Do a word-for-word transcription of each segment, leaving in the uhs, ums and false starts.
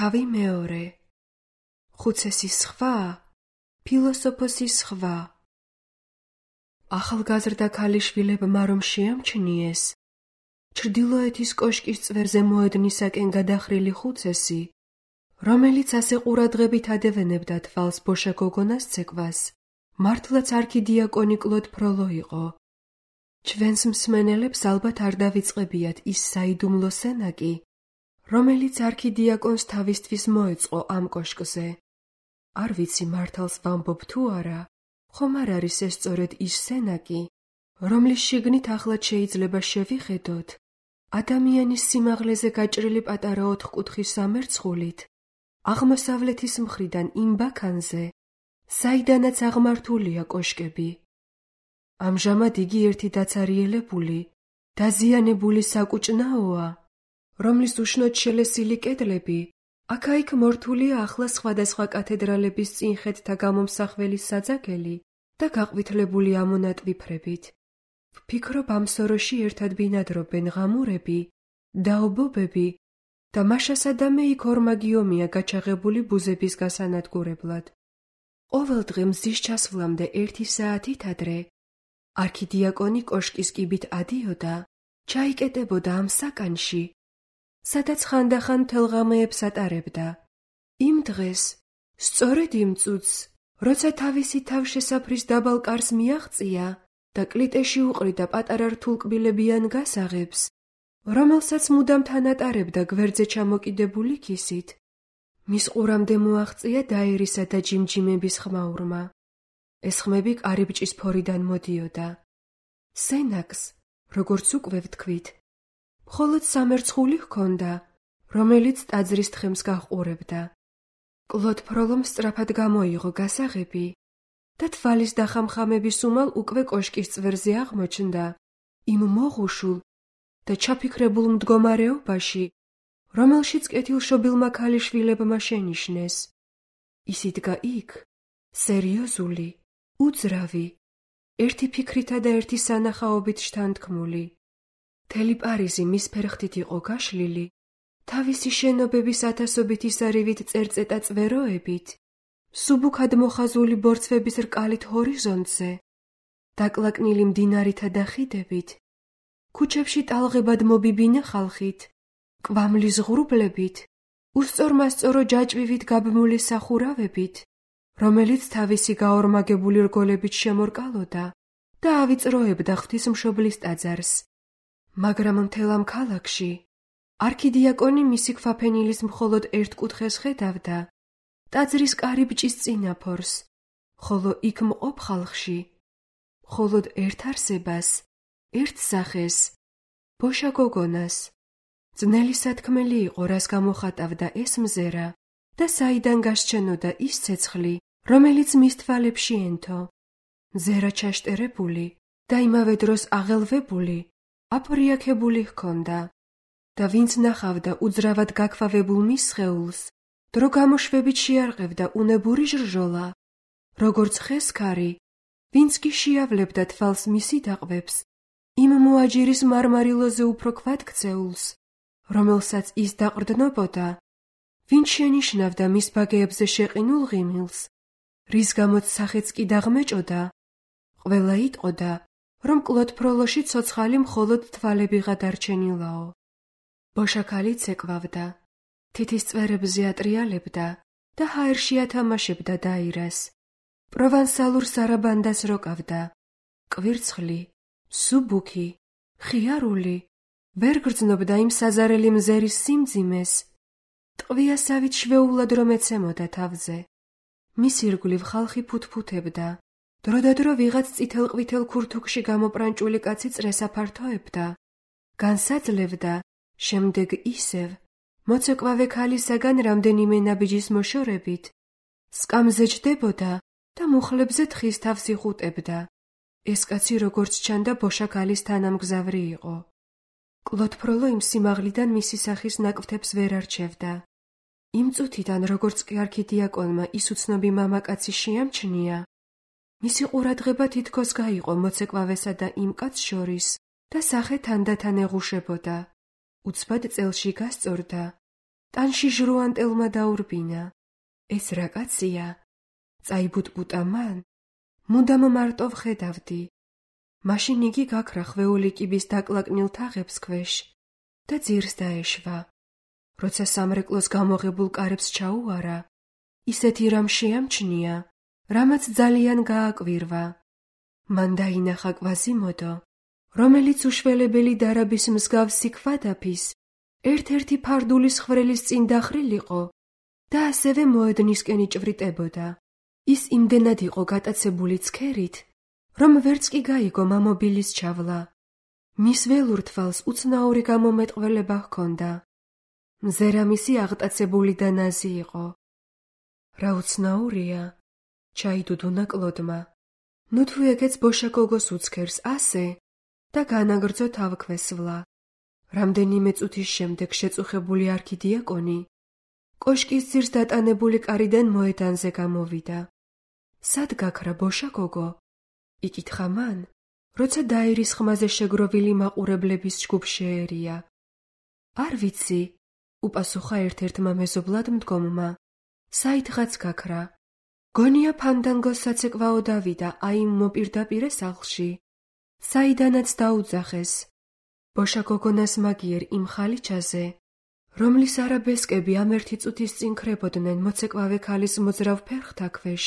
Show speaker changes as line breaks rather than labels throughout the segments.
თავი მეორე. ხუცესის სხვა, ფილოსოფოსის სხვა. ახალგაზრდა ქალიშვილებმა რომ შეამჩნიეს, ჩრდილოეთის კოშკის წვერზე მოედნისაკენ გადახრილი ხუცესი, რომელიც ასე ყურადღებით ადევენებდა თვალს ბოშა გოგონას ცეკვას, მართლაც არქიდიაკონი კლოდ ფროლო იყო. ჩვენს მსმენელებს ალბათ არ დავიწყებიათ ის საიდუმლო სენაკი, რომელიც არქიდიაკონს თავისთვის მოეწყო ამ კოშკზე. არ ვიცი მართალს ვამბობ თუ არა, ხომ არ არის ეს სწორედ ის სენაკი, რომლის შიგნით ახლად შეიძლება შევიხედოთ ადამიანის სიმაღლეზე გაჭრილი პატარა ოთხკუთხის სამერცხულით, აღმოსავლეთის მხრიდან იმ ბაქანზე, საიდანაც აღმართულია კოშკები. ამჟამად იგი ერთი დაცარიელებული, დაზიანებული საკუჭნაოა, რომლის უშნოდ შელესილი კედლები აქა-იქ მორთულია ახლა სხვადასხვა კათედრალების წინხედთა გამომსახველი საძაგელი და გაყვითლებული ამონატვიფრებით. ვფიქრობ, ამ სოროში ერთად ბინადრობენ ღამურები, დაობობები და მაშასადამე იქ ორმაგი ომია გაჩაღებული ბუზების გასანადგურებლად. ყოველ დღე მზის ჩასვლამდე ერთი საათით ადრე არქიდიაკონი კოშკის კიბით ადიოდა, ჩაიკეტებოდა ამ საკანში, სადაც ხანდახან თელღამეებს ატარებდა. იმ დღეს, სწორედ იმ წუთს, როცა თავისი თავშესაფრის დაბალ კარს მიაღწია და კლიტეში უყრიდა პატარა რთულკბილებიან გასაღებს, რომელსაც მუდამ თან ატარებდა გვერდზე ჩამოკიდებული ქისით, მის ყურამდე მოაღწია დაერისა და ჯიმჯიმების ხმაურმა. ეს ხმები კარიბჭის ფორიდან მოდიოდა. სენაკს, როგორც უკვე ვთქვით, მხოლოდ სამერცხული ჰქონდა, რომელიც ტაძრის თხემს გაჰყურებდა. კლოდ ფროლომ სწრაფად გამოიღო გასაღები და თვალის დახამხამების უმალ უკვე კოშკის წვერზე აღმოჩნდა, იმ მოღუშულ და ჩაფიქრებულ მდგომარეობაში, რომელშიც კეთილშობილმა ქალიშვილებმა შენიშნეს. ის იდგა იქ, სერიოზული, უძრავი, ერთი ფიქრითა და ერთი სანახაობით შთანთქმული. მთელი პარიზი მის ფერხთით იყო გაშლილი, თავისი შენობების ათასობით ისარივით წერწეტა წვეროებით, სუბუქად მოხაზული ბორცვების რკალით ჰორიზონტზე, დაკლაკნილი მდინარითა და ხიდებით, ქუჩებში ტალღებად მობიბინე ხალხით, კვამლის ღრუბლებით, უსწორმასწორო ჯაჭვივით გაბმული სახურავებით, რომელიც თავისი გაორმაგებული რგოლებით შემორკალოდა და ავიწროებდა ღვთისმშობლის ტაძარს. მაგრამ მთელ ამ ქალაქში არქიდიაკონი მისი ქვაფენილის მხოლოდ ერთ კუთხეს ხედავდა, ტაძრის კარიბჭის წინაფორს, ხოლო იქ მყოფ ხალხში მხოლოდ ერთ არსებას, ერთ სახეს, ბოშა გოგონას. ძნელი სათქმელი იყო, რას გამოხატავდა ეს მზერა და საიდან გასჩენოდა ის ცეცხლი, რომელიც მის თვალებში ენთო. მზერა ჩაშტერებული და იმავე დროს აღელვებული, აპრიაქებული ჰქონდა და ვინც ნახავდა უძრავად გაქვავებულ მის სხეულს, დრო გამოშვებით შეარყევდა უნებური ჟრჟოლა, როგორც ხესქარი, ვინც კი შეავლებდა თვალს მისი დაყვებს, იმ მოაჯირის მარმარილოზე უფრო ქვად-ქცეულს, რომელსაც ის დაყრდნობოდა, ვინც შენიშნავდა მის ბაგეებზე შეყინულ ღიმილს, რის გამოც სახეც კი დაღმეჭოდა, ყველა იტყოდა, რომ კლოდ ფროლოში ცოცხალი მხოლოდ თვალებიღა დარჩენილაო. ბოშაქალი ცეკვავდა, თითის წვერებზე ატრიალებდა და ჰაერში ათამაშებდა დაირას. პროვანსალურ სარაბანდას როკავდა, კვირცხლი, სუბუქი, ხიარული, ვერ გრძნობდა იმ საზარელი მზერის სიმძიმეს, ტყვიასავით შვეულად რომ ეცემოდა თავზე. მის ირგვლივ ხალხი ფუთფუთებდა, დროდადრო ვიღაც წითელ-ყვითელ ქურთუქში გამოპრანჭული კაცი წრეს აფართოებდა, განსაძლევდა, შემდეგ ისევ, მოცეკვავე ქალისაგან რამდენიმე ნაბიჯის მოშორებით, სკამზე ჯდებოდა და მუხლებზე თხის თავს იხუტებდა. ეს კაცი როგორც ჩანდა ბოშაქალის თანამგზავრი იყო. კლოდ ფროლო იმ სიმაღლიდან მისი სახის ნაკვთებს ვერ არჩევდა. იმ წუთიდან, როგორც კი არქიდიაკონმა ის უცნობი მამაკაცი შეამჩნია, მისი ყურადღება თითქოს გაიყო მოცეკვავესა და იმ კაცს შორის და სახე თანდათან ეღუშებოდა. უცბად წელში გასწორდა ტანში ჟრუანტელმა დაურბინა. ეს რა კაცია? წაიბუტბუტა მან? მუდამ მარტო ვხედავდი. მაშინ იგი გაქრა ხვეული კიბის დაკლაკნილ თაღებს ქვეშ და ძირს დაეშვა. როცა სამრეკლოს გამოღებულ კარებს ჩაუარა, ისეთი რამ შეამჩნია, რამაც ძალიან გააკვირვა. მან დაინახა კვაზიმოდო, რომელიც უშველებელი დარაბის მსგავსი ქვადაფის ერთ-ერთი ფარდულის ხვრელის წინ დახრილიყო და ასევე მოედნისკენ იჭვრიტებოდა. ის იმდენად იყო გატაცებული ცქერით, რომ ვერც კი გაიგო მამობილის ჩავლა. მის ველურ თვალს უცნაური გამომეტყველება ჰქონდა. მზერამისი აღტაცებული და ნაზი იყო. რა უცნაურია, ჩაიდუდუნა კლოდმა. ნუ თუ ეგეც ბოშაკოგოს უცქერს ასე და განაგრძო თავქვესვლა. რამდენიმე წუთის შემდეგ შეწუხებული არქიდიაკონი კოშკის ძირს დატანებული კარიდან მოედანზე გამოვიდა. სად გაქრა ბოშაკოგო? იკითხა მან, როცა დაირის ხმაზე შეგროვილი მაყურებლების ჯგუფ შეერია. არ ვიცი, უპასუხა ერთ-ერთმა მეზობლად მდგომმა. საიდღაც გაქრა. გონია ფანდანგოს საცეკვაო დავიდა აი მოპირდაპირე სახლში, საიდანაც დაუძახეს. ბოშაკოგონას მაგიერ იმ ხალიჩაზე, რომლის არაბესკები ამ ერთი წუთის წინ ქრებოდნენ მოცეკვავე ქალის მოძრავ ფერხთა ქვეშ.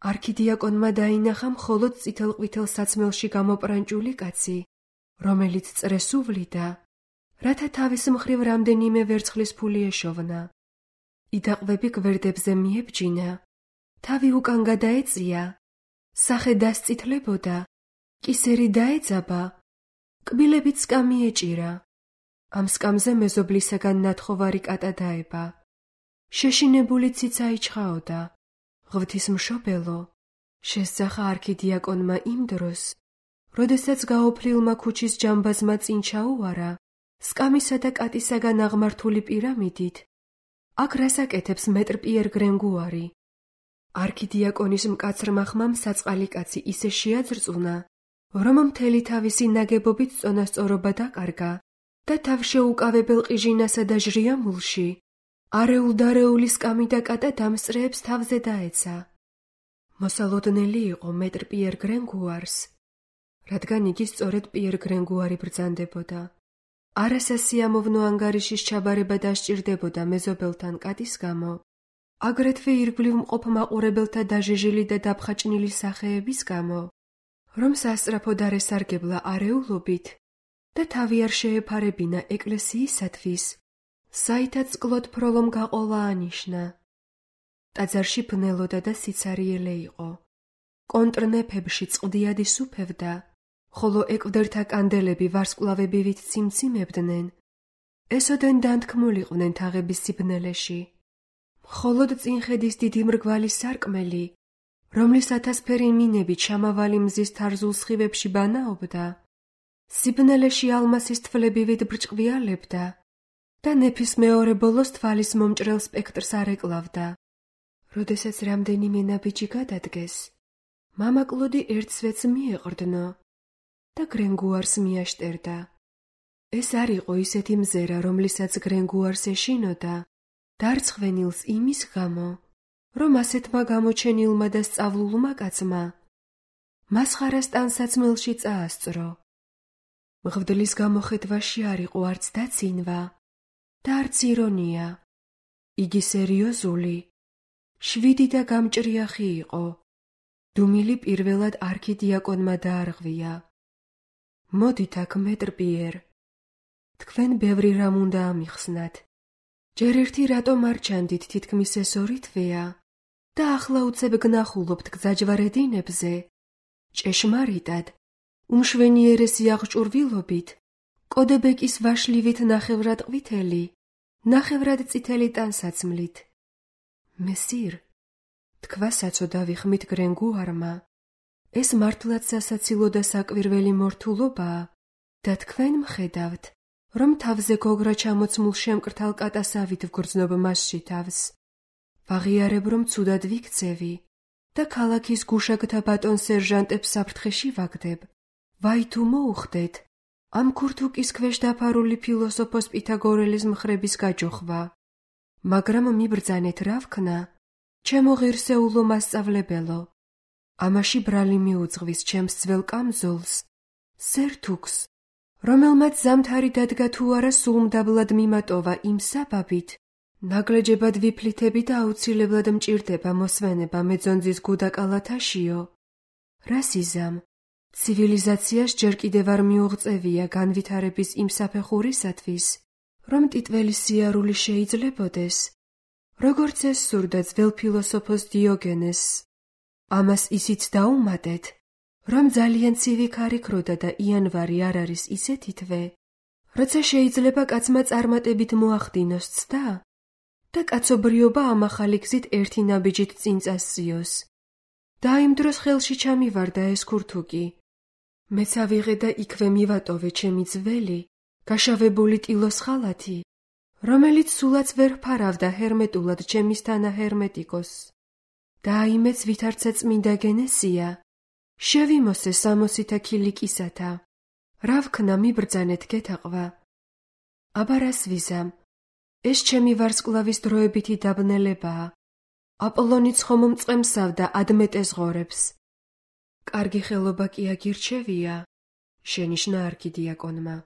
არქიდიაკონმა დაინახა მხოლოდ წითელ-ყვითელ საცმელში გამოპრანჭული კაცი, რომელიც წრეს უვლიდა, რათა თავის მხრივ რამდენიმე ვერცხლის ფული ეშოვნა. იდაყვები გვერდებზე მიებჯინა, თავი უკან გადაეწია, სახე დასწითლებოდა, კისერი დაეძაბა, კბილებიც სკამი ეჭირა. ამ სკამზე მეზობლისაგან ნათხოვარი კატა დაება. შეშინებული ციცა იჩხაოდა. ღვთისმშობელო, შესძახა არქიდიაკონმა იმ დროს, როდესაც გაოფლილმა ქუჩის ჯამბაზმა წინ ჩაუარა სკამისა და კატისაგან აღმართული პირამიდით. აქ რას აკეთებს მეტრ პიერ გრენგუარი? არქიდიაკონის მკაცრმა ხმამ საწყალი კაცი ისე შეაძრწუნა, რომ მთელი თავისი ნაგებობით წონასწორობა დაკარგა და თავშეუკავებელ ყიჟინასა და ჟრიამულში არეულ-დარეული სკამი და კატა დამსწრეებს თავზე დაეცა. მოსალოდნელი იყო მეტრ პიერ გრენგუარს, რადგან იგი სწორედ პიერ გრენგუარი ბრძანდებოდა. არასასიამოვნო ანგარიშის ჩაბარება დასჭირდებოდა მეზობელთან კატის გამო, აგრეთვე ირგვლივ მყოფ მაყურებელთა დაჟეჟილი და დაფხაჭნილი სახეების გამო, რომ სასწრაფოდ არ ესარგებლა არეულობით და თავი არ შეეფარებინა ეკლესიისათვის, საითაც კლოდ ფროლომ გაყოლა ანიშნა. ტაძარში ბნელოდა და სიცარიელე იყო. კონტრნეფებში წყდიად ისუფევდა, ხოლო ეკვდერთა კანდელები ვარსკვლავებივით ციმციმებდნენ. ესოდენ დანთქმულიყვნენ თაღების სიბნელეში. მხოლოდ წინხედის დიდი მრგვალი სარკმელი, რომლის ათასფერი მინებით შამავალი მზის თარზულ სხივებში ბანაობდა, სიბნელეში ალმასის თვლებივით ბრჭყვიალებდა და ნეფის მეორე ბოლოს თვალის მომჭრელ სპექტრს არ ეკლავდა. როდესაც რამდენიმე ნაბიჯი გადადგეს, მამა კლოდი ერთ სვეტს მიეყრდნო და გრენგუარს მიაშტერდა. ეს არ იყო ისეთი მზერა, რომლისაც გრენგუარს ეშინოდა, დარცხვენილს იმის გამო, რომ ასეთმა გამოჩენილმა და სწავლულმა კაცმა მასხარას ტანსაცმელში წაასწრო. მღვდლის გამოხედვაში არ იყო არც დაცინვა და არც ირონია. იგი სერიოზული, შვიდი და გამჭრიახი იყო. დუმილი პირველად არქიდიაკონმა დაარღვია. მოდით აქ მეტრ პიერ, თქვენ ბევრი რამ უნდა ამიხსნათ. ჯერ ერთი რატომ არ ჩანდით თითქმის ეს ორი თვეა და ახლა უცებ გნახულობთ გზაჯვარედინებზე, ჭეშმარიტად, უმშვენიერესი აღჭურვილობით, კოდებეკის ვაშლივით ნახევრად ყვითელი, ნახევრად წითელი ტანსაცმლით. მესირ, თქვა საცოდავი ხმით გრენგუარმა, ეს მართლაც სასაცილო და საკვირველი მორთულობაა და თქვენ მხედავთ, რომ თავზე გოგრა ჩამოცმულ შემკრთალ კატასავით ვგრძნობ მასში თავს. ვაღიარებ, რომ ცუდად ვიქცევი და ქალაქის გუშაგთა ბატონ სერჟანტებს საფრთხეში ვაგდებ. ვაი თუ მოუხდეთ ამ ქურთუკის ქვეშ დაფარული ფილოსოფოს პითაგორელის მხრების გაჯოხვა. მაგრამ მიბრძანეთ რა ვქნა, ჩემო ღირსეულო მასწავლებელო, ამაში ბრალი მიუძღვის ჩემს ძველ კამზოლს, სერთუქს, რომელმაც ზამთარი დადგა თუ არა სულმდაბლად მიმატოვა იმ საბაბით, ნაგლეჯებად ვიფლითები და აუცილებლად მჭირდება მოსვენება მეძონძის გუდაკალათაშიო. რა სიზამ, ცივილიზაციას ჯერ კიდევ არ მიუღწევია განვითარების იმ საფეხურისათვის, რომ ტიტველი სიარული შეიძლებოდეს, როგორც ეს სურდა ძველ ფილოსოფოს დიოგენესს. ამას ისიც დაუმატეთ, რომ ძალიან ცივი ქარი ქროდა და იანვარი არ არის ისეთი თვე, როცა შეიძლება კაცმა წარმატებით მოახდინოს ცდა და კაცობრიობა ამ ახალი გზით ერთი ნაბიჯით წინ წასწიოს. და იმ დროს ხელში ჩამივარდა ეს ქურთუკი. მეც ავიღე და იქვე მივატოვე ჩემი ძველი, გაშავებული ტილოს ხალათი, რომელიც სულაც ვერ ფარავდა ჰერმეტულად ჩემის თანაჰერმეტიკოსს. და აიმეც ვითარცა წმინდა გენესია, შევიმოსე სამოსითა ქილიკისათა. რა ვქნა მიბრძანეთ გეთაყვა. აბა რას ვიზამ, ეს ჩემი ვარსკვლავის დროებითი დაბნელებაა. აპოლონი ცხომ მწყემსავდა ადმეტეს ღორებს. კარგი ხელობა კი აგირჩევია, შენიშნა არქიდიაკონმა.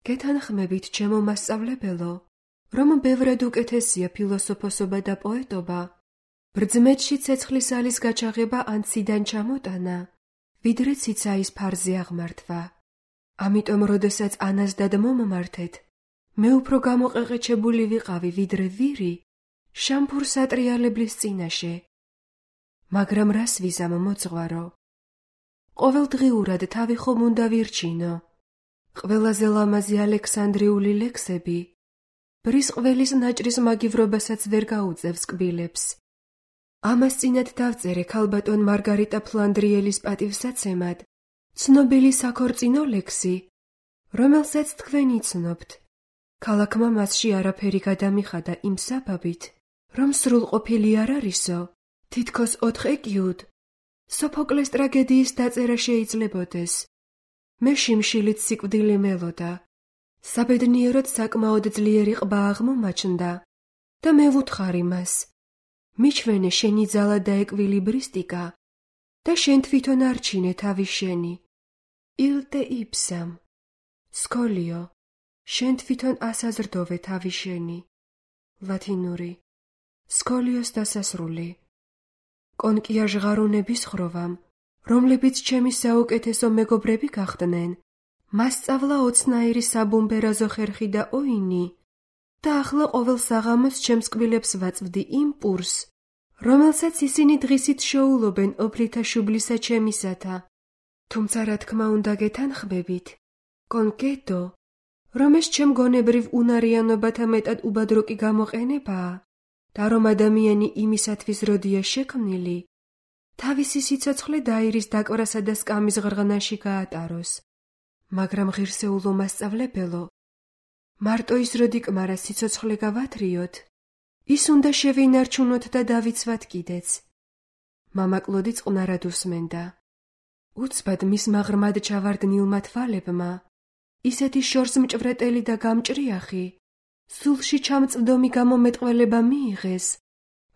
გეთანხმებით, ჩემო მასწავლებელო, რომ ბევრად უკეთესია ფილოსოფოსობა და პოეტობა, ბრძმეთში ცეცხლის ალის გაჩაღება ან ციდან ჩამოტანა, ვიდრე ციცაის ფარზე აღმართვა. ამიტომ, როდესაც ანაზდად მომმართეთ, მე უფრო გამოყეყეჩებული ვიყავი, ვიდრე ვირი, შამფურ სატრიალებლის წინაშე. მაგრამ რას ვიზამ მოძღვარო? ყოველდღიურად თავი ხომ უნდა ვირჩინო. ყველაზე ლამაზი ალექსანდრიული ლექსები, ბრის ყველის ნაჭრის მაგივრობასაც ვერ გაუწევს კბილებს. ამას წინათ დავწერე ქალბატონ მარგარიტა ფლანდრიელის პატივსაცემად, ცნობილი საქორწინო ლექსი, რომელსაც თქვენ იცნობთ. ქალაქმა მასში არაფერი გადამიხადა იმ საბაბით, რომ სრულყოფილი არ არისო, თითქოს ოთხ ეკიუდ, სოფოკლეს ტრაგედიის დაწერა შეიძლებოდეს. მე შიმშილით სიკვდილი მელოდა. საბედნიეროდ საკმაოდ ძლიერი ყბა აღმომაჩნდა და მე ვუთხარი მას. მიჩვენე შენი ძალა და ეკვილიბრისტიკა და შენ თვითონ არჩინე თავი შენი. ილტე იფსამ. სკოლიო, შენ თვითონ ასაზრდოვე თავი შენი. ლათინური. სკოლიოს დასასრული. კონკია ჟღარუნების ხროვამ, რომლებიც ჩემი საუკეთესო მეგობრები გახდნენ, მასწავლა ოცნაირი საბუმბერაზო ხერხი და ოინი და ახლა ყოველ საღამოს ჩემს კბილებს ვაწვდი იმ პურს, რომელსაც ისინი დღისით შოულობენ ოფლითა შუბლისა ჩემისათა. თუმცა რა თქმა უნდა გეთანხმებით, კონკეტო, რომ ეს ჩემ გონებრივ უნარიანობათა მეტად უბადროკი გამოყენებაა და რომ ადამიანი იმისათვის როდია შექმნილი, თავისი სიცოცხლე დაირის დაკვრასა და სკამის ღრღნაში გაატაროს. მაგრამ ღირსეულო მასწავლებელო, მარტო ის როდი კმარა სიცოცხლე გავათრიოთ, ის უნდა შევინარჩუნოთ და დავიცვათ კიდეც. მამა კლოდი წყნარად უსმენდა. უცბად მის მაღრმად ჩავარდნილმა თვალებმა, ისეთი შორს მჭვრეტელი და გამჭრიახი, სულში ჩამწვდომი გამომეტყველება მიიღეს,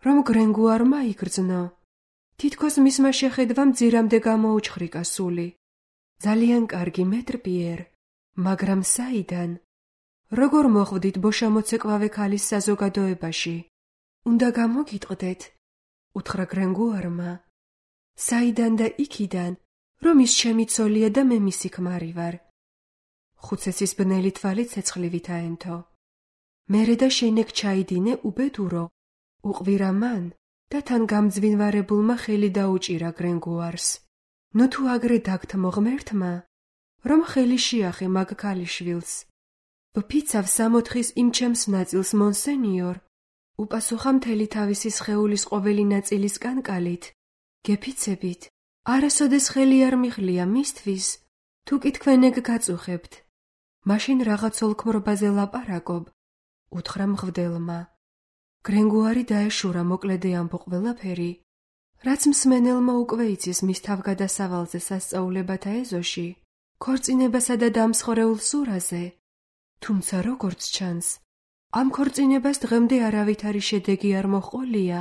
რომ გრენგუარმა იგრძნო. თითქოს მისმა შეხედვამ ძირამდე გამოუჩხრიკა სული. ძალიან კარგი მეტრპიერ, მაგრამ საიდან? როგორ მოხვდით ბოშამოცეკვავე ქალის საზოგადოებაში? უნდა გამოგიტყდეთ, უთხრა გრენგუარმა. საიდან და იქიდან, რომ ის ჩემი ცოლია და მე მისი ქმარი ვარ. ხუცესის ბნელი თვალი ცეცხლივით აენთო. მერე და შენეკ ჩაიდინე უბედურო, უყვირა მან და თან გამძვინვარებულმა ხელი დაუჭირა გრენგუარს. ნუ თუ აგრე დაგთმო ღმერთმა, რომ ხელი შეახე მაგ ქალიშვილს. ვფიცავ სამოთხის იმ ჩემს ნაწილს, მონსენიორ, უპასუხა მთელი თავისი სხეულის ყოველი ნაწილის კანკალით. გეფიცებით, არასოდეს ხელი არ მიხლია მისთვის, თუ კი თქვენ ეგ გაწუხებთ. მაშინ რაღაც ოლქმრობაზე ლაპარაკობ, უთხრა მღვდელმა. გრენგუარი დაეშურა მოკლედე ამბო ყველაფერი, რაც მსმენელმა უკვე იცის მის თავგადასავალზე სასწაულებათა ეზოში, ქორწინებასა და დამსხვრეულ სურაზე. თუმცა როგორც ჩანს, ამ ქორწინებას დღემდე არავითარი შედეგი არ მოჰყოლია,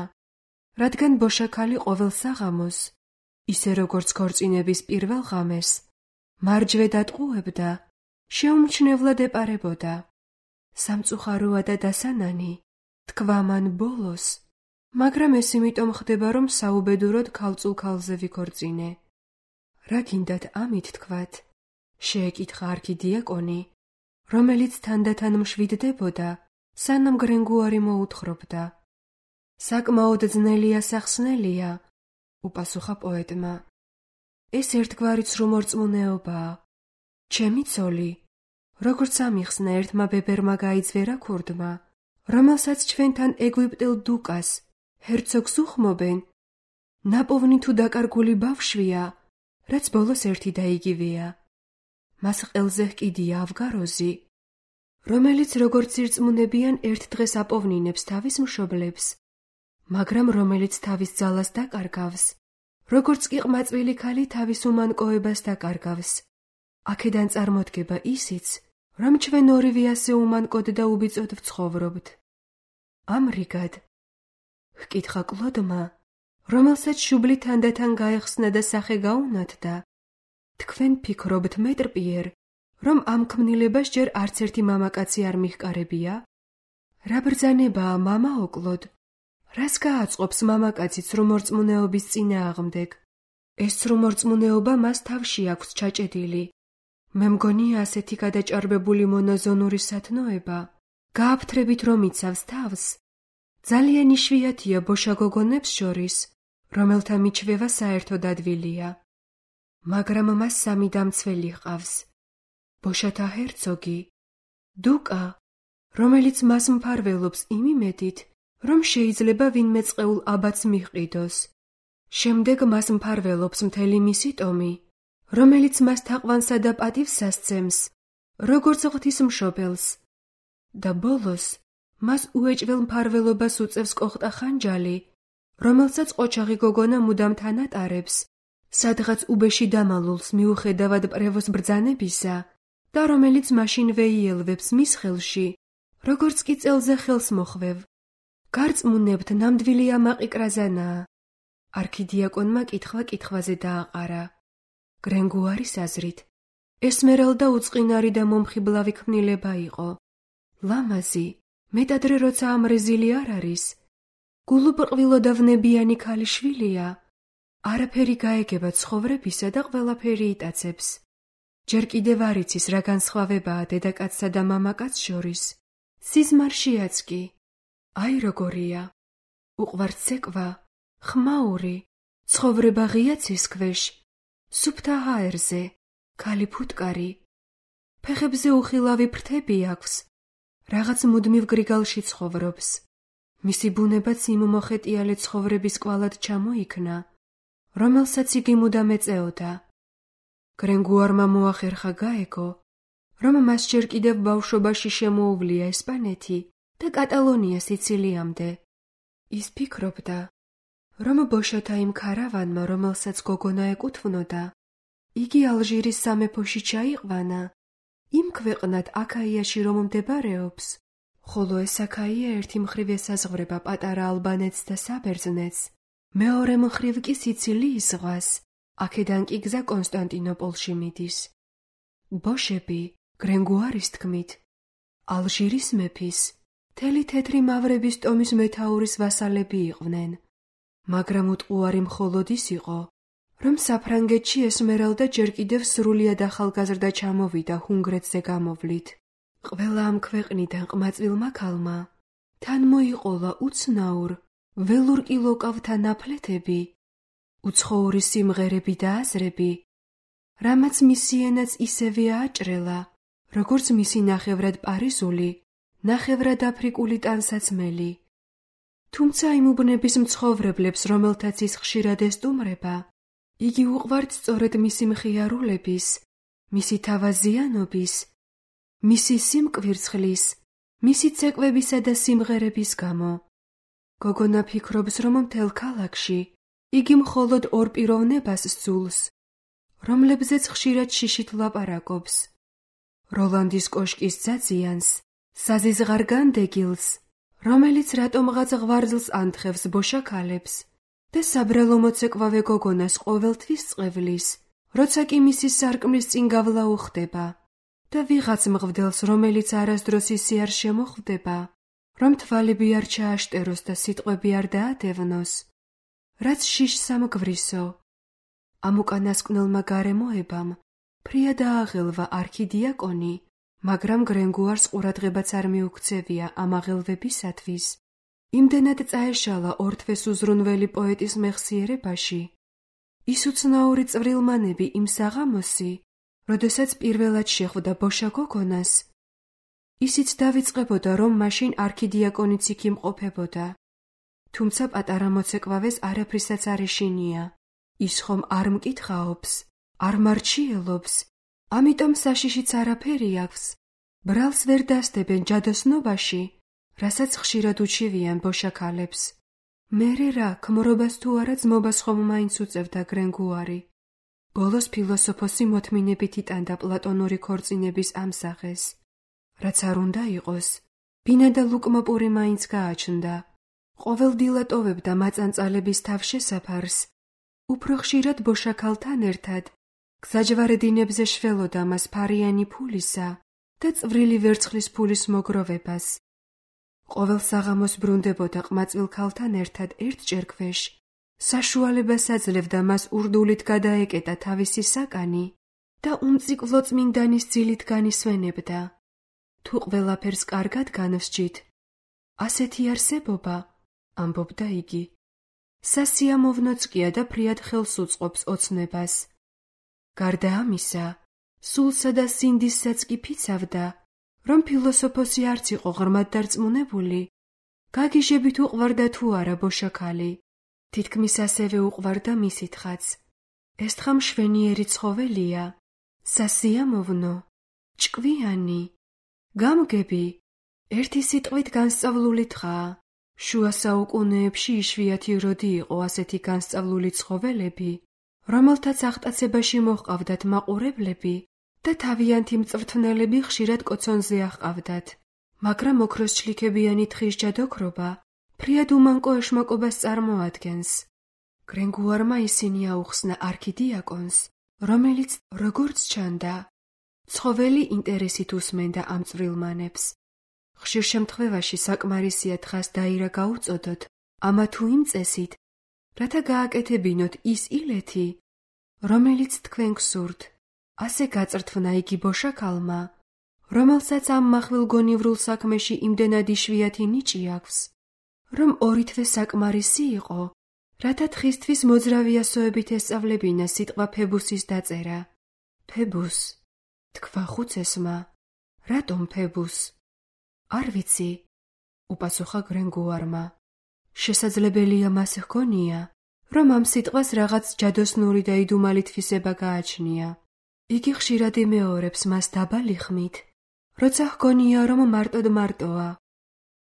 რადგან ბოშაქალი ყოველ საღამოს, ისე როგორც ქორწინების პირველ ღამეს, მარჯვე დატყუებდა, შეუმჩნევლად ეპარებოდა. სამწუხაროა და დასანანი, თქვა მან ბოლოს, მაგრამ ეს იმიტომ ხდება, რომ საუბედუროდ ქალწულ ქალზე ვიქორწინე. რა გინდათ ამით თქვათ? შეეკითხა არქიდიაკონი, რომელიც თანდათან მშვიდდებოდა, სანამ გრენგუარი მოუთხრობდა. საკმაოდ ძნელია სახსნელია, უპასუხა პოეტმა. ეს ერთგვარი ცრუმორწმუნეობაა. ჩემი ცოლი, როგორც ამიხსნა ერთმა ბებერმა გაიძვერა ქურდმა, რომელსაც ჩვენთან ეგვიპტელ დუკას, ჰერცოგს უხმობენ, ნაპოვნი თუ დაკარგული ბავშვია, რაც ბოლოს ერთი და იგივეა. მას ყელზე ჰკიდია ავგაროზი, რომელიც როგორც ირწმუნებიან ერთ დღეს აპოვნინებს თავის მშობლებს, მაგრამ რომელიც თავის ძალას დაკარგავს, როგორც კი ყმაწვილი ქალი თავის უმანკოებას დაკარგავს. აქედან წარმოდგება ისიც, რომ ჩვენ ორივე ასე უმანკოდ და უბიწოდ ვცხოვრობთ. ამრიგად, ჰკითხა კლოდმა, რომელსაც შუბლი თანდათან გაეხსნა და სახე გაუნათდა, თქვენ ფიქრობთ მეტრპიერ, რომ ამ ქმნილებას ჯერ არც ერთი მამაკაცი არ მიჰკარებია? რა ბრძანებაა მამაო კლოდ? რას გააწყობს მამაკაცი ცრუმორწმუნეობის წინააღმდეგ? ეს ცრუმორწმუნეობა მას თავში აქვს ჩაჭედილი. მე მგონია ასეთი გადაჭარბებული მონაზონური სათნოება, გააფთრებით რომ იცავს თავს, ძალიან იშვიათია ბოშა გოგონებს შორის, რომელთა მიჩვევა საერთოდ ადვილია. მაგრამ მას სამი დამცველი ჰყავს. ბოშათა ჰერცოგი, დუკა, რომელიც მას მფარველობს იმ იმედით, რომ შეიძლება ვინმე წყეულ აბათს მიჰყიდოს. შემდეგ მას მფარველობს მთელი მისი ტომი, რომელიც მას თაყვანსა და პატივს ასცემს, როგორც ღვთისმშობელს. და ბოლოს, მას უეჭվել მფარველობას უწევს კოხტა ხანჯალი, რომელსაც ყოჩაღი გოგონა მუდამ თან ატარებს, სადღაც უბეში დამალულს მიუხედავად პრევოს ბრძანებისა და რომელიც მაშინვე იელვებს მის ხელში, როგორც კი წელზე ხელს მოხვევ. გარწმუნებთ ნამდვილი ამაყი კრაზანაა. არქიდიაკონმა კითხვა კითხვაზე დააყარა. გრენგუარის აზრით, ესმერალდა უწყინარი და მომხიბლავი ქმნილება იყო. ლამაზი, მეტადრე როცა ამრეზილი არ არის, გულუბრყვილო და ვნებიანი ქალიშვილია, არაფერი გაეგება ცხოვრებისა და ყველაფერი იტაცებს. ჯერ კიდევ არ იცის რა განსხვავებაა დედაკაცსა და მამაკაც შორის, სიზმარშიაც კი. აი როგორია, უყვართ ცეკვა, ხმაური, ცხოვრება ღია ცის ქვეშ, სუფთა ჰაერზე, ქალი ფუტკარი, ფეხებზე უხილავი ფრთები აქვს, რაღაც მუდმივ გრიგალში ცხოვრობს. მისი ბუნებაც იმ მოხეტიალე ცხოვრების კვალად ჩამოიქნა, რომელსაც იგი მუდამ ეწეოდა. გრენგუარმა მოახერხა გაეგო, რომ მას ჯერ კიდევ ბავშვობაში შემოუვლია ესპანეთი და კატალონია სიცილიამდე. ის ფიქრობდა, რომ ბოშათა იმ ქარავანმა, რომელსაც გოგონა ეკუთვნოდა, იგი ალჟირის სამეფოში ჩაიყვანა, იმ ქვეყნად აქაიაში რომ მდებარეობს, ხოლო ეს აქაია ერთი მხრივ ესაზღვრება პატარა ალბანეთს და საბერძნეთს, მეორე მხრივ კი სიცილიის ზღვას, აქედან კი გზა კონსტანტინოპოლში მიდის. ბოშები, გრენგუარის თქმით, ალჟირის მეფის, თელი თეთრი მავრების ტომის მეთაურის ვასალები იყვნენ, მაგრამ უტყუარი მხოლოდ ის იყო, რომ საფრანგეთში ესმერალდა ჯერ კიდევ სრულიად ახალგაზრდა ჩამოვიდა ჰუნგრეთზე გამოვლით. ყველა ამ ქვეყნიდან ყმაწვილმა ქალმა თან მოიყოლა უცნაურ, ველურკილოკავთა ნაფლეთები, უცხოური სიმღერები და აზრები, რამაც მისი ენაც ისევე აჭრელა, როგორც მისი ნახევრად პარიზული, ნახევრად აფრიკული ტანსაცმელი. თუმცა იმ უბნების მცხოვრებლებს, რომელთაც ის ხშირად ესტუმრება, იგი უყვართ სწორედ მისი მხიარულების, მისი თავაზიანობის, მისი სიმკვირცხლის, მისი ცეკვებისა და სიმღერების გამო. გოგონა ფიქრობს, რომ მთელ ქალაქში იგი მხოლოდ ორ პიროვნებას სძულს, რომლებზეც ხშირად შიშით ლაპარაკობს. როლანდის კოშკის ძაძიანს საზიზღარ განდეგილს, რომელიც რატომღაც ღვარძლს ანთხევს ბოშაქალებს და საბრალო მოცეკვავე გოგონას ყოველთვის წყვევლის, როცა კი მისი სარკმლის წინ გავლა უხდება და ვიღაც მღვდელს, რომელიც არასდროს ისე არ შემოხვდება, რომ თვალები არ ჩააშტეროს და სიტყვები არ დაადევნოს, რაც შიშს ამგვრისო. ამ უკანასკნელმა გარემოებამ ფრია დააღელვა არქიდიაკონი, მაგრამ გრენგუარს ყურადღებაც არ მიუქცევია ამ აღელვებისათვის. იმდენად წაეშალა ორთვეს უზრუნველი პოეტის მეხსიერებაში, ის უცნაური წვრილმანები იმ საღამოსი, როდესაც პირველად შეხვდა ბოშა გოგონას, ისიც დავიწყებოდა, რომ მაშინ არქიდიაკონიც იქ იმყოფებოდა. თუმცა პატარა მოცეკვავეს არაფრისაც არ ეშინია. ის ხომ არ მკითხაობს, არ მარჩიელობს, ამიტომ საშიშიც არაფერი აქვს. ბრალს ვერ დასდებენ ჯადოსნობაში, რასაც ხშირად უჩივიან ბოშაქალებს. მერე რა, ქმრობას თუ არა ძმობას ხომ მაინც უწევდა გრენგუარი. ბოლოს ფილოსოფოსი მოთმინებით იტანდა პლატონური ქორწინების ამსახეს. რაც არ უნდა იყოს, ბინა და ლუკმოპური მაინც გააჩნდა. ყოველდილა ტოვებდა მაწანწალების თავშესაფარს, უფრო ხშირად ბოშაქალთან ერთად, გზაჯვარედინებზე შველოდა მას ფარიანი ფულისა და წვრილი ვერცხლის ფულის მოგროვებას. ყოველ საღამოს ბრუნდებოდა ყმაწვილ ქალთან ერთად ერთჯერ ქვეშ, საშუალებას აძლევდა მას ურდულით გადაეკეტა თავისი საკანი და უმწიკლო წმინდანის ძილით განისვენებდა. თუ ყველაფერს კარგად განვსჯით, ასეთი არსებობა, ამბობდა იგი, სასიამოვნოც-კია და ფრიად ხელს უწყობს ოცნებას. გარდა ამისა, სულსა და სინდისსაც კი ფიცავდა, რომ ფილოსოფოსი არც იყო ღრმად დარწმუნებული, გაგიჟებით უყვარდა თუ არა ბოშაქალი. თითქმის ასევე უყვარდა მისი თხაც. ეს თხა მშვენიერი ცხოველია, სასიამოვნო, ჭკვიანი, გამგები, ერთი სიტყვით განსწავლული თხაა. შუა საუკუნეებში იშვიათი როდი იყო ასეთი განსწავლული ცხოველები, რომელთაც აღტაცებაში მოჰყავდათ მაყურებლები და თავიანთი მწვრთნელები ხშირად კოცონზე აჰყავდათ, მაგრამ ოქროს ჩლიქებიანი თხის ჯადოქრობა ფრიად უმანკო ეშმაკობას წარმოადგენს. გრენგუარმა ისინი აუხსნა არქიდიაკონს, რომელიც, როგორც ჩანდა, ცხოველი ინტერესით უსმენდა ამ წვრილმანებს. ხშირ შემთხვევაში საკმარისია თხას დაირა გაუწოდოთ, ამა თუ იმ წესით, რათა გააკეთებინოთ ის ილეთი, რომელიც თქვენ გსურთ. ასე გაწრთვნა იგი ბოშაქალმა, რომელსაც ამ მახვილგონივრულ საქმეში იმდენად იშვიათი ნიჭი აქვს, რომ ორი თვე საკმარისი იყო, რათა თხისთვის მოძრავიასოებით ესწავლებინა სიტყვა ფებუსის დაწერა. ფებუს, თქვა ხუცესმა, რატომ ფებუს? არ ვიცი, უპასუხა გრენგუარმა. შესაძლებელია მას ჰგონია, რომ ამ სიტყვას რაღაც ჯადოსნური და იდუმალი თვისება გააჩნია. იგი ხშირად იმეორებს მას დაბალი ხმით, როცა ჰგონია, რომ მარტოდ მარტოა.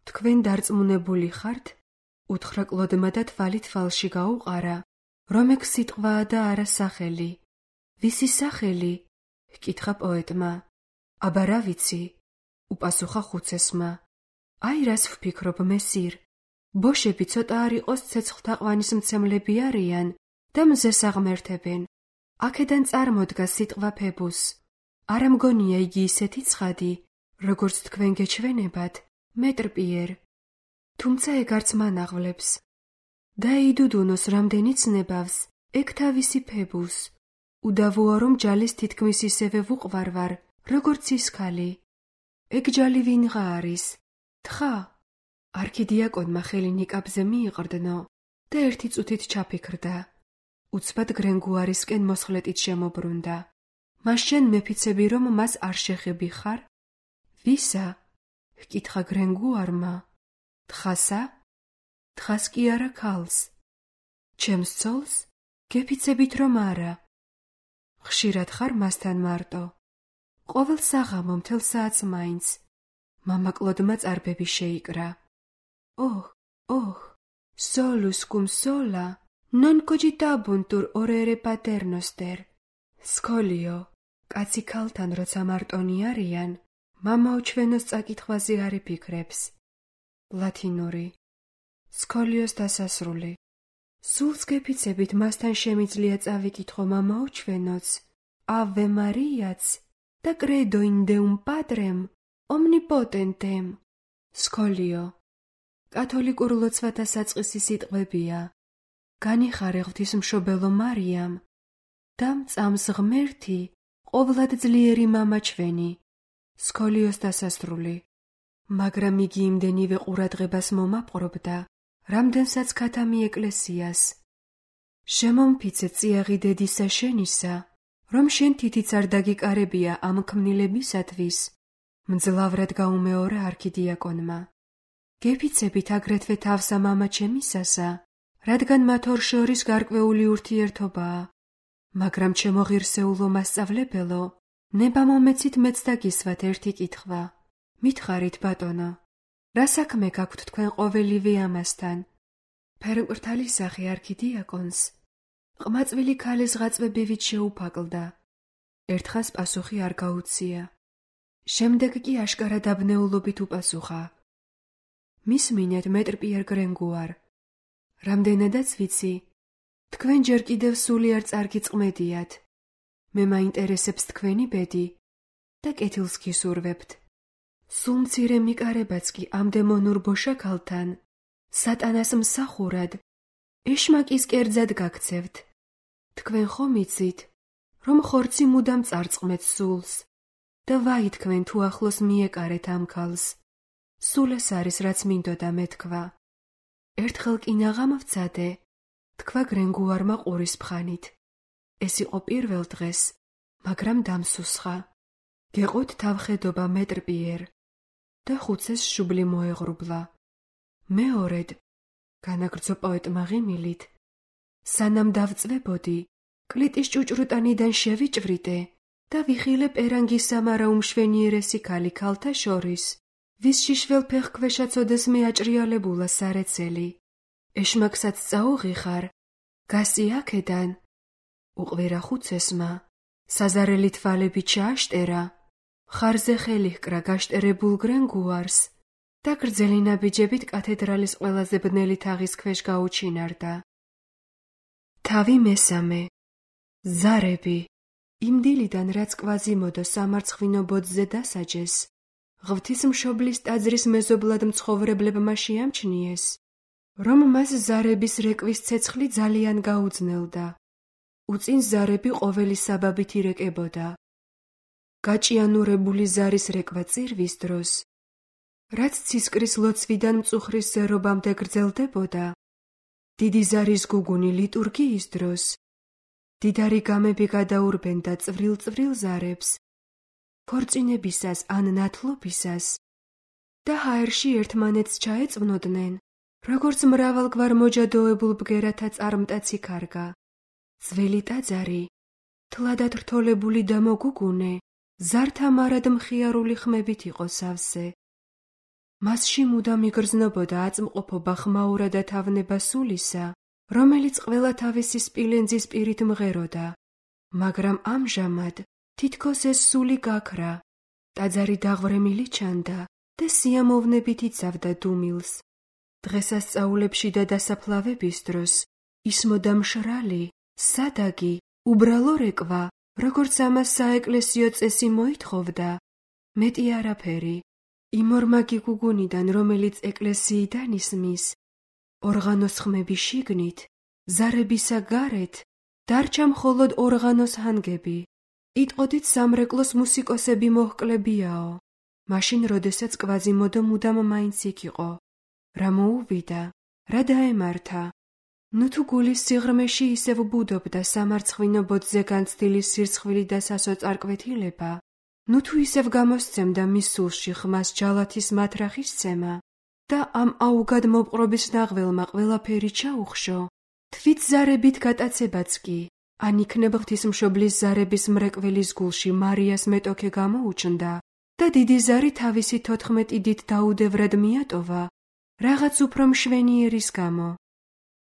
თქვენ დარწმუნებული ხართ? უთხრა კლოდმა და თვალი თვალში გაუყარა, რომ ეგ სიტყვაა და არა სახელი. ვისი სახელი? ჰკითხა პოეტმა. აბა რა ვიცი, უპასუხა ხუცესმა. აი რას ვფიქრობ, მესիր. ბოშები ცოტა არ იყოს ცეცხლთაყვანის მცემლები არიან და მზეს აღმერთებენ. აქედან წარმოდგა სიტყვა ფებუს. არა მგონია იგი ისეთი ცხადი, როგორც თქვენ გეჩვენებათ, მეტრპიერ. თუმცა ეგ არც მან აღვლებს. დაიდუდუნოს რამდენი ცნებავს, ეგ თავისი ფებუს. უდავოა, რომ ჯალის თითქმის ისევე ვუყვარვარ, როგორც ის ქალი. ეგ ჯალი ვინღა არის? თხა? არქიდიაკონმა ხელი ნიკაპზე მიიყრდნო და ერთი წუთით ჩაფიქრდა. უცბად გრენგუარისკენ მოსხლეტით შემობრუნდა. მას შენ მეფიცები, რომ მას არ შეხები ხარ? ვისა? ჰკითხა გრენგუარმა. თხასა? თხას კი არა ქალს. ჩემს ცოლს? გეფიცებით რომ არა. ხშირად ხარ მასთან მარტო? ყოველ საღამო მთელ საათს მაინც. მამა კლოდმა წარბები შეიკრა. ოჰ, ოჰ, solus cum sola, non cogitabuntur orere paternoster. სკოლიო, კაცი ქალთან როცა მარტონი არიან, მამაო ჩვენოს წაკითხვაზე არ იფიქრებს. ლათინური. სკოლიოს დასასრული. სულს გეფიცებით მასთან შემიძლია წავიკითხო მამაო ჩვენოც, ave Mariaც და credo in Deum Patrem omnipotentem. სკოლიო. კათოლიკურ ლოცვათა საწყისი სიტყვებია. განიხარე ღვთისმშობელო მარიამ და მწამს ღმერთი ყოვლად ძლიერი მამა ჩვენი. სკოლიოს დასასრული. მაგრამ იგი იმდენივე ყურადღებას მომაპყრობდა, რამდენსაც ქათამი ეკლესიას. შემომფიცე წიაღი დედისა შენისა, რომ შენ თითიც არ დაგიკარებია ამ ქმნილებისათვის, მძლავრად გაუმეორა არქიდიაკონმა. გეფიცებით აგრეთვე თავსა მამა ჩემისასა, რადგან მათ ორ შორის გარკვეული ურთიერთობაა, მაგრამ ჩემო ღირსეულო მასწავლებელო, ნება მომეცით მეც დაგისვათ ერთი კითხვა. მითხარით ბატონო, რა საქმე გაქვთ თქვენ ყოველივე ამასთან? ფერმკრთალი სახე არქიდიაკონს ყმაწვილი ქალის ღაწვებივით შეუფაკლდა. ერთხანს პასუხი არ გაუცია. შემდეგ კი აშკარა დაბნეულობით უპასუხა. მისმინეთ მეტრ პიერ გრენგუარ. რამდენადაც ვიცი, თქვენ ჯერ კიდევ სულიერ წარგიწყმედიათ. მე მაინტერესებს თქვენი ბედი და კეთილს გისურვებთ. სულ მცირე მიკარებაც კი ამ დემონურ ბოშაქალთან, სატანას მსახურად, ეშმაკის კერძად გაქცევთ. თქვენ ხომ იცით, რომ ხორცი მუდამ წარწყმეთ სულს და ვაი თქვენ თუ ახლოს მიეკარეთ ამ ქალს. სულ ეს არის რაც მინდოდა მეთქვა. ერთხელ კი ნაღამ ვცადე, თქვა გრენგუარმა ყურის ფხანით. ეს იყო პირველ დღეს, მაგრამ დამსუსხა. გეყოთ თავხედობა მეტრ პიერ და ხუცეს შუბლი მოეღრუბლა. მეორედ, განაგრძო პოეტმა ღიმილით, სანამ დავწვებოდი, კლიტის ჭუჭრუტანიდან შევიჭვრიტე და ვიხილე პერანგის სამარა უმშვენიერესი ქალი ქალთა შორის, ვის შიშველფეხქვეშა ცოდეს მეაჭრიალებულა სარეცელი. ეშმაკსაც წაუღიხარ, გასი აქედან. უყვირა ხუცესმა, საზარელი თვალები ჩააშტერა, ხარზე ხელი ჰკრა გაშტერებულ გრენგუარს და გრძელი ნაბიჯებით კათედრალის ყველაზე ბნელი თაღის ქვეშ გაუჩინარდა. თავი მესამე. ზარები. იმ დილიდან რაც კვაზიმოდო სამარცხვინო ბოძზე დასაჯეს, ღვთისმშობლის ტაძრის მეზობლად მცხოვრებლებმა შეამჩნიეს, რომ მას ზარების რეკვის ცეცხლი ძალიან გაუძნელდა. უწინ ზარები ყოველი საბაბით ირეკებოდა. გაჭიანურებული ზარის რეკვა წირვის დროს, რაც ცისკრის ლოცვიდან მწუხრის ზერობამდე გრძელდებოდა, დიდი ზარის გუგუნი ლიტურგიის დროს, დიდარი გამები გადაურბენდა წვრილ-წვრილ ზარებს, ქორწინებისას ან ნათლობისას და ჰაერში ერთმანეთს ჩაეწვნოდნენ, როგორც მრავალგვარ მოჯადოებულ ბგერათა წარმტაცი ქარგა. ძველი ტაძარი, თლადად რთოლებული და მოგუგუნე, ზართა მარად მხიარული ხმებით იყო სავსე. მასში მუდამ იგრძნობოდა აწმყოფობა ხმაურა და თავნება სულისა, რომელიც ყველა თავისი სპილენძის პირით მღეროდა, მაგრამ ამჟამად თითქოს ეს სული გაქრა, ტაძარი დაღვრემილი ჩანდა და სიამოვნებით იცავდა დუმილს. დღესასწაულებში და დასაფლავების დროს ისმოდა მშრალი, სადაგი, უბრალო რეკვა, როგორც ამას საეკლესიო წესი მოითხოვდა, მეტი არაფერი. იმ ორმაგი გუგუნიდან, რომელიც ეკლესიიდან ისმის, ორღანოს ხმები შიგნით, ზარებისა გარეთ, დარჩა მხოლოდ ორღანოს ჰანგები. იტყოდით სამრეკლოს მუსიკოსები მოჰკლებიაო. მაშინ, როდესაც კვაზიმოდო მუდამ მაინც იქ იყო. რა მოუვიდა, რა დაემართა. ნუ თუ გულის სიღრმეში ისევ ბუდობდა სამარცხვინო ბოძზე განცდილი სირცხვილი და სასოწარკვეთილება, ნუ თუ ისევ გამოსცემდა მის სულში ხმას ჯალათის მათრახის ცემა და ამ აუგად მოპყრობის ნაღველმა ყველაფერი ჩაუხშო, თვით ზარებით გატაცებაც კი, ან იქნებ ღვთისმშობლის ზარების მრეკველის გულში მარიას მეტოქე გამოუჩნდა და დიდი ზარი თავისი თოთხმეტი დიდ დაუდევრად მიატოვა, რაღაც უფრო მშვენიერის გამო.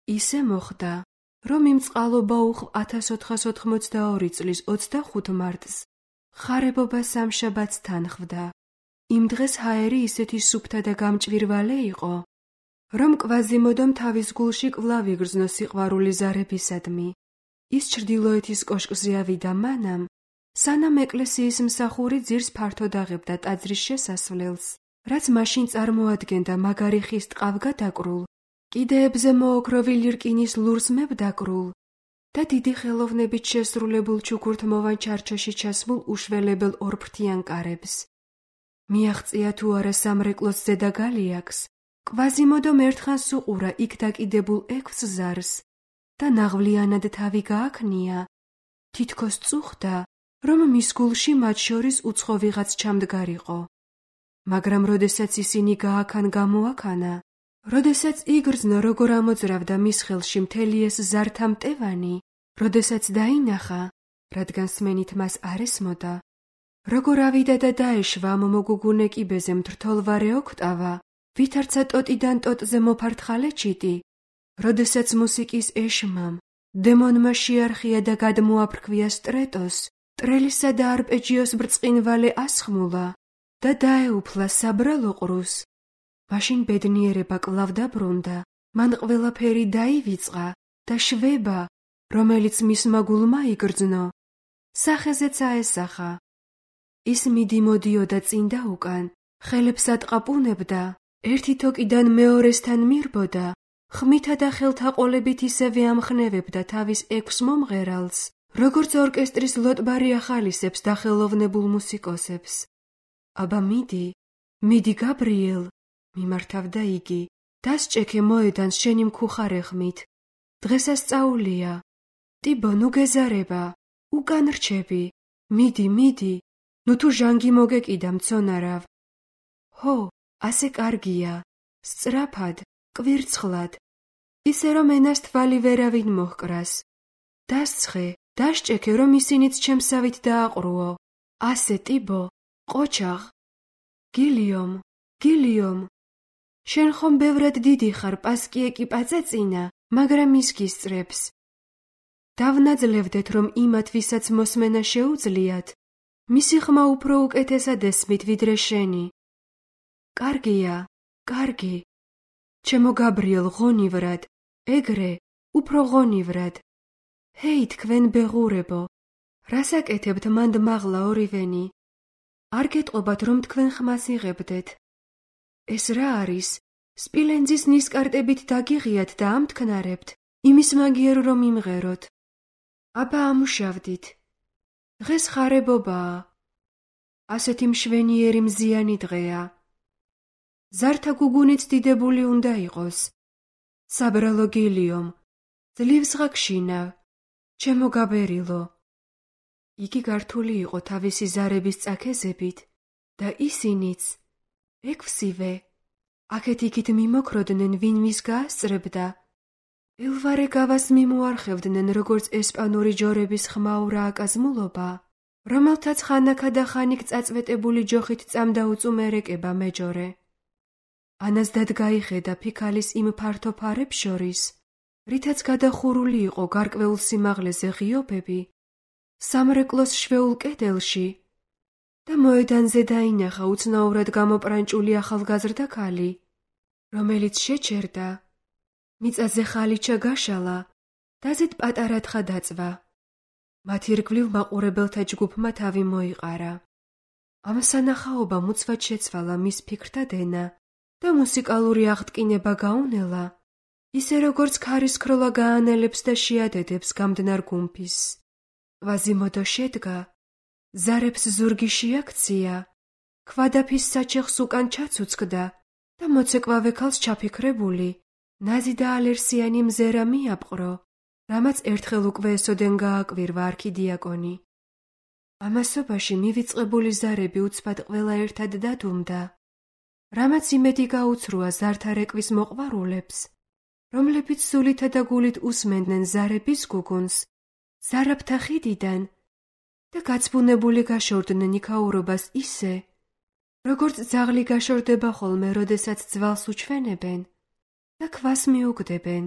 ისე მოხდა, რომ იმ წყალობა უხვ ათას ოთხას ოთხმოცდაორი წლის ოცდახუთ მარტს ხარებობა სამშაბათს თანხვდა. იმ დღეს ჰაერი ისეთი სუფთა და გამჭვირვალე იყო, რომ კვაზიმოდომ თავის გულში კვლავ იგრძნო სიყვარული ზარებისადმი. ის ჩრდილოეთის კოშკზე ავიდა მანამ, სანამ ეკლესიის მსახური ძირს ფართოდ აღებდა ტაძრის შესასვლელს, რაც მაშინ წარმოადგენდა მაგარი ხის ტყავგადაკრულ, კიდეებზე მოოქროვილი რკინის ლურსმებ დაკრულ და დიდი ხელოვნებით შესრულებულ ჩუქურთმოვან ჩარჩოში ჩასმულ უშველებელ ორფრთიან კარებს. მიაღწია თუ არა სამრეკლოს ზედა გალიაკს, კვაზიმოდომ ერთხანს უყურა იქ დაკიდებულ ექვსს ზარს და ნაღვლიანად თავი გააქნია, თითქოს წუხდა, რომ მის გულში მათ შორის უცხო ვიღაც ჩამდგარიყო. მაგრამ როდესაც ისინი გააქან გამოაქანა, როდესაც იგრძნო როგორ ამოძრავდა მის ხელში მთელი ეს ზართა მტევანი, როდესაც დაინახა, რადგან სმენით მას არ ესმოდა, როგორ ავიდა და დაეშვა ამ მოგუგუნე კიბეზე მთრთოლვარე ოქტავა, ვითარცა ტოტიდან ტოტზე მოფართხალე ჩიტი, როდესაც მუსიკის ეშმამ, დემონმა შეარხია და გადმოაფრქვია სტრეტოს, ტრელისა და არპეჯიოს ბრწყინვალე ასხმულა და დაეუფლა საბრალო ყრუს, მაშინ ბედნიერება კვლავ დაბრუნდა, მან ყველაფერი დაივიწყა და შვება, რომელიც მისმა გულმა იგრძნო, სახეზეც აესახა. ის მიდიმოდიოდა წინ და უკან, ხელებს ატყაპუნებდა, ერთი თოკიდან მეორესთან მირბოდა, ხმითა და ხელთაყოლებით ისევე ამხნევებდა თავის ექვს მომღერალს, როგორც ორკესტრის ლოტბარი ახალისებს და ხელოვნებულ მუსიკოსებს. აბა მიდი, მიდი გაბრიელ, მიმართავდა იგი, დასჭექე მოედანს შენი მქუხარე ხმით. დღესასწაულია. ტიბო, ნუ გეზარება, უკან რჩები, მიდი, მიდი, ნუ თუ ჟანგი მოგეკიდა მცონარავ. ჰო, ასე კარგია, სწრაფად, კვირცხლად, ისე რომ ენას თვალი ვერავინ მოჰკრას. დასცხე, დასჭექე, რომ ისინიც ჩემსავით დააყრუო. ასე, ტიბო, ყოჩაღ. გილიომ, გილიომ, შენ ხომ ბევრად დიდი ხარ, პასკიე კი პაწეწინა, მაგრამ ის გისწრებს. დავნაძლევდეთ, რომ იმათ, ვისაც მოსმენა შეუძლიათ, მისი ხმა უფრო უკეთესად ესმით, ვიდრე შენი. კარგია, კარგი. ჩემო გაბრიელ, ღონივრად, ეგრე, უფრო ღონივრად. ჰეი, თქვენ ბეღურებო, რას აკეთებთ მანდ მაღლა ორივენი? არ გეტყობათ, რომ თქვენ ხმას იღებდეთ. ეს რა არის? სპილენძის ნისკარტებით დაგიღიათ და ამთქნარებთ, იმის მაგიერ რომ იმღეროთ. აბა ამუშავდით. დღეს ხარებობაა. ასეთი მშვენიერი მზიანი დღეა. ზართა გუგუნიც დიდებული უნდა იყოს. საბრალო გილიომ, ძლივს ღაგშინავ, ჩემო გაბერილო. იგი გართული იყო თავისი ზარების წაქეზებით და ისინიც, ექვსივე, აქეთ-იქით მიმოქროდნენ, ვინ ვის გაასწრებდა. ელვარე გავას მიმოარხევდნენ, როგორც ესპანური ჯორების ხმაურა აკაზმულობა, რომელთაც ხანაქა და ხანიკ წაწვეტებული ჯოხით წამდა უწუმერეკება მეჯორე. ანას დადგაიხედა ფიქალის იმ ფართო ფარებს შორის, რითაც გადახურული იყო გარკვეულ სიმაღლეზე ღიობები, სამრეკლოს შვეულ კედელში და მოედანზე დაინახა უცნაურად გამოპრანჭული ახალგაზრდა ქალი, რომელიც შეჩერდა, მიწაზე ხალიჩა გაშალა, დაზედ პატარა თხა დაწვა. მათ ირგვლივ მაყურებელთა ჯგუფმა თავი მოიყარა. ამ სანახაობამ უცბად შეცვალა მის ფიქრთა დენა და მუსიკალური აღტკინება გაუნელა, ისე როგორც ქარისქროლა გაანელებს და შეადედებს გამდნარ გუმფისს. კვაზიმოდო შედგა, ზარებს ზურგი შეაქცია, ქვადაფის საჩეხს უკან ჩაცუცკდა და მოცეკვავე ქალს ჩაფიქრებული, ნაზი და ალერსიანი მზერა მიაპყრო, რამაც ერთხელ უკვე ესოდენ გააკვირვა არქიდიაკონი. ამასობაში მივიწყებული ზარები უცბად ყველა ერთად დადუმდა, რამაც იმედი გაუცრუა ზართა რეკვის მოყვარულებს, რომლებიც სულითა და გულით უსმენდნენ ზარების გუგუნს, ზარაფთა ხიდიდან და გაცბუნებული გაშორდნენ იქაურობას ისე, როგორც ძაღლი გაშორდება ხოლმე, როდესაც ძვალს უჩვენებენ და ქვას მიუგდებენ.